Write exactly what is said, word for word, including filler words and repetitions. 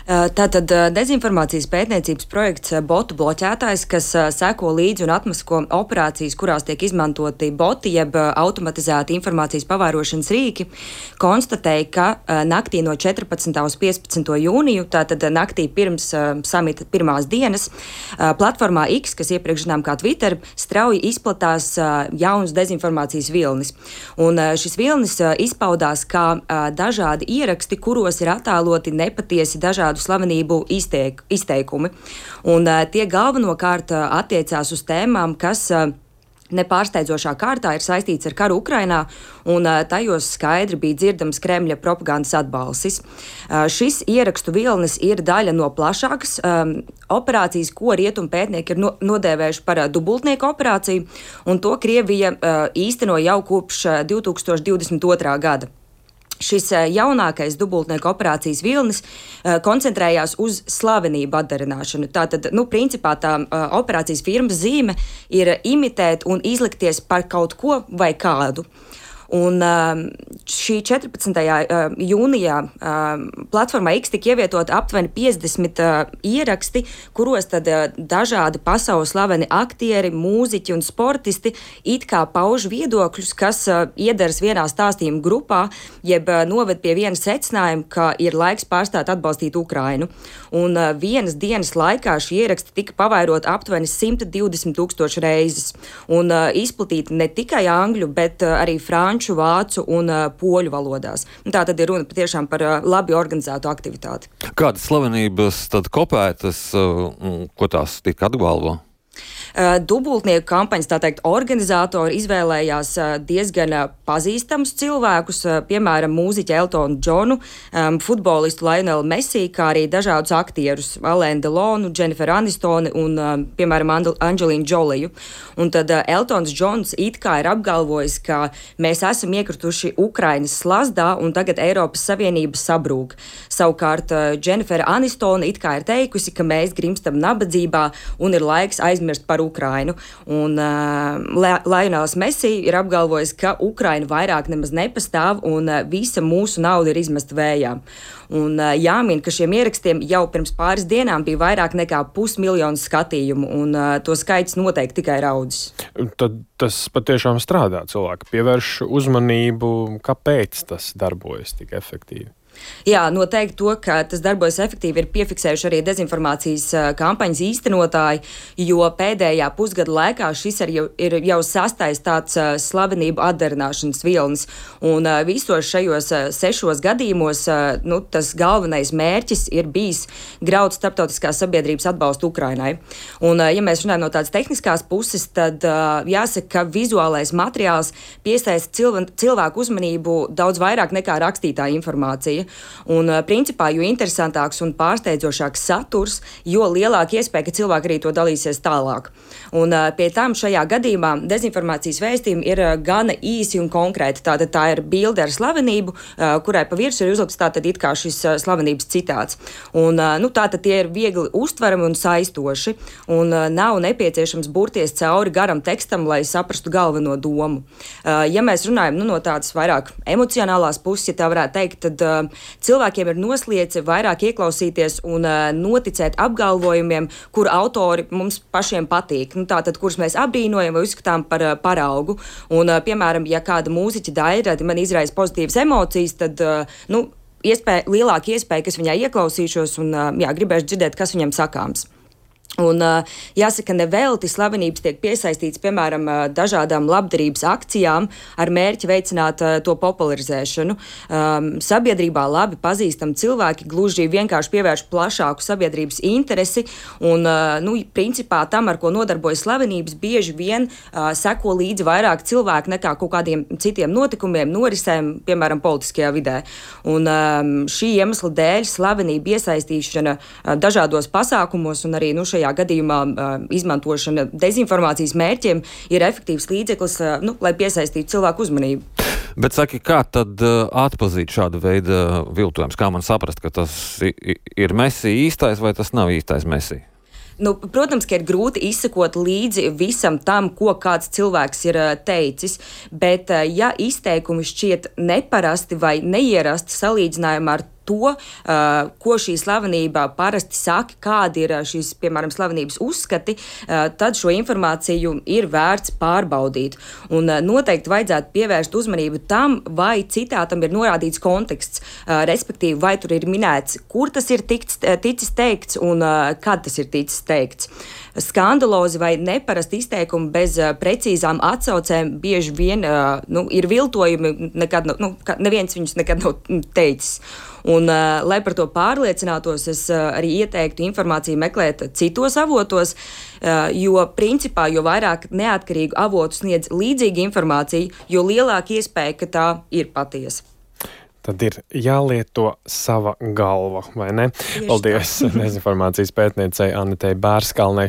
Tātad dezinformācijas pētniecības projekts Botu bloķētājs, kas seko līdzi un atmasko operācijas, kurās tiek izmantoti boti, jeb automatizēti informācijas pavērošanas rīki, konstatēja, ka naktī no četrpadsmitā uz piecpadsmito jūniju, tātad naktī pirms samita pirmās dienas, platformā X, kas iepriekš zinām kā Twitter, strauji izplatās jaunas dezinformācijas vilnis. Un šis vilnis izpaudās kā dažādi ieraksti, kuros ir attēloti nepatiesi dažādi slavenību izteik, izteikumi. Un uh, tie galvenokārt uh, attiecās uz tēmām, kas uh, nepārsteidzošā kārtā ir saistīts ar karu Ukrainā, un uh, tajos skaidri bija dzirdams Kremļa propagandas atbalsis. Uh, šis ierakstu vilnis ir daļa no plašākas um, operācijas, ko rietumu pētnieki ir no, nodēvējuši par uh, dubultnieku operāciju, un to Krievija uh, īsteno jau kopš uh, divi tūkstoši divdesmit otrā gada. Šis jaunākais dubultnieku operācijas vilnis uh, koncentrējās uz slavenību atdarināšanu. Tātad, nu, principā tā uh, operācijas firmas zīme ir imitēt un izlikties par kaut ko vai kādu. Un šī četrpadsmitajā jūnijā platformā X tika ievietoti aptuveni piecdesmit ieraksti, kuros tad dažādi pasaules slaveni aktieri, mūziķi un sportisti it kā pauž viedokļus, kas iedaras vienā stāstījuma grupā, jeb noved pie viena secinājuma, ka ir laiks pārstāt atbalstīt Ukrainu. Un vienas dienas laikā šie ieraksti tika pavairoti aptuveni simt divdesmit tūkstoši reizes un izplatīti ne tikai angļu, bet arī franču, vācu un uh, poļu valodās. Tā tad ir runa patiešām par uh, labi organizētu aktivitāti. Kādas slavenības tad kopētas, uh, ko tās tika atbalvo? Uh, dubultnieku kampaņas, tā teikt, organizatori izvēlējās uh, diezgan uh, pazīstamus cilvēkus, uh, piemēram, mūziķi Eltonu Džonu, um, futbolistu Lionelu Messi, kā arī dažādus aktierus Alainu Delonu, Dženiferu Anistoni un, uh, piemēram, Andel- Angelīnu Džoliju. Un tad uh, Eltons Džons it kā ir apgalvojis, ka mēs esam iekrituši Ukrainas slazdā un tagad Eiropas Savienība sabrūk. Savukārt uh, Dženifera Anistoni it kā ir teikusi, ka mēs grimstam nabadzībā un ir laiks aizmirst par Ukrainu. Un uh, Lionels Messi ir apgalvojis, ka Ukraina vairāk nemaz nepastāv un uh, visa mūsu nauda ir izmesta vējā. Un uh, jāmin, ka šiem ierakstiem jau pirms pāris dienām bija vairāk nekā pusmiljonu skatījumu, un uh, to skaits noteikti tikai raudzis. Tad tas patiešām strādā. Cilvēki pievērš uzmanību, kāpēc tas darbojas tik efektīvi. Jā, noteikti to, ka tas darbojas efektīvi, ir piefiksējuši arī dezinformācijas kampaņas īstenotāji, jo pēdējā pusgada laikā šis ir jau, ir jau sastais tāds uh, slavenību atdarināšanas vilnis. Un uh, visos šajos uh, sešos gadījumos uh, nu, tas galvenais mērķis ir bijis graut starptautiskās sabiedrības atbalstu Ukrainai. Un, uh, ja mēs runājam no tādas tehniskās puses, tad uh, jāsaka, ka vizuālais materiāls piesaista cilv- cilvēku uzmanību daudz vairāk nekā rakstītā informācija. Un, principā, jo interesantāks un pārsteidzošāks saturs, jo lielāka iespēja, ka cilvēki arī to dalīsies tālāk. Un, pie tam šajā gadījumā dezinformācijas vēstījumi ir gana īsi un konkrēti. Tātad tā ir bilde ar slavenību, kurai pa virsmu ir uzlikts tātad it kā šis slavenības citāts. Un, nu, tātad tie ir viegli uztverami un saistoši, un nav nepieciešams burties cauri garam tekstam, lai saprastu galveno domu. Ja mēs runājam nu, no tādas vairāk emocionālās puses, ja tā varētu teikt, tad cilvēkiem ir nosliece vairāk ieklausīties un uh, noticēt apgalvojumiem, kur autori mums pašiem patīk. Nu, tātad, kurus mēs apbrīnojam vai uzskatām par uh, paraugu. Un, uh, piemēram, ja kāda mūziķa daļradi man izraisa pozitīvas emocijas, tad uh, nu, iespēja, lielāka iespēja, ka es viņā ieklausīšos un uh, jā, gribēšu dzirdēt, kas viņam sakāms. Un, uh, jāsaka, nevelti slavenības tiek piesaistīts, piemēram, uh, dažādām labdarības akcijām ar mērķi veicināt uh, to popularizēšanu. Um, sabiedrībā labi pazīstami cilvēki gluži vienkārši pievērš plašāku sabiedrības interesi un, uh, nu, principā tam, ar ko nodarbojas slavenības, bieži vien uh, seko līdzi vairāk cilvēku nekā kaut kādiem citiem notikumiem, norisēm, piemēram, politiskajā vidē. Un um, šī iemesla dēļ slavenība iesaistīšana uh, dažādos pasākumos un arī, nu, šajā gadījumā uh, izmantošana dezinformācijas mērķiem ir efektīvs līdzeklis, uh, nu, lai piesaistītu cilvēku uzmanību. Bet saki, kā tad uh, atpazīt šādu veidu viltojums? Kā man saprast, ka tas ir Messi īstais vai tas nav īstais Messi? Nu, protams, ka ir grūti izsekot līdzi visam tam, ko kāds cilvēks ir uh, teicis, bet uh, ja izteikumi šķiet neparasti vai neierasti salīdzinājumā ar to, uh, ko šī slavenība parasti saka, kādi ir šīs, piemēram, slavenības uzskati, uh, tad šo informāciju ir vērts pārbaudīt. Un uh, noteikti vajadzētu pievērst uzmanību tam, vai citātam ir norādīts konteksts, uh, respektīvi, vai tur ir minēts, kur tas ir ticis, ticis teikts un uh, kad tas ir ticis teikts. Skandalozi vai neparasti izteikumi bez uh, precīzām atsaucēm bieži vien uh, nu, ir viltojumi, nekad, nu, neviens viņus nekad nav teicis. Un, uh, lai par to pārliecinātos, es uh, arī ieteiktu informāciju meklēt citos avotos, uh, jo principā, jo vairāk neatkarīgu avotu sniedz līdzīga informācija, jo lielāka iespēja, ka tā ir patiesa. Tad ir jālieto sava galva, vai ne? Paldies dezinformācijas pētniecei Annetei Bērskalnei.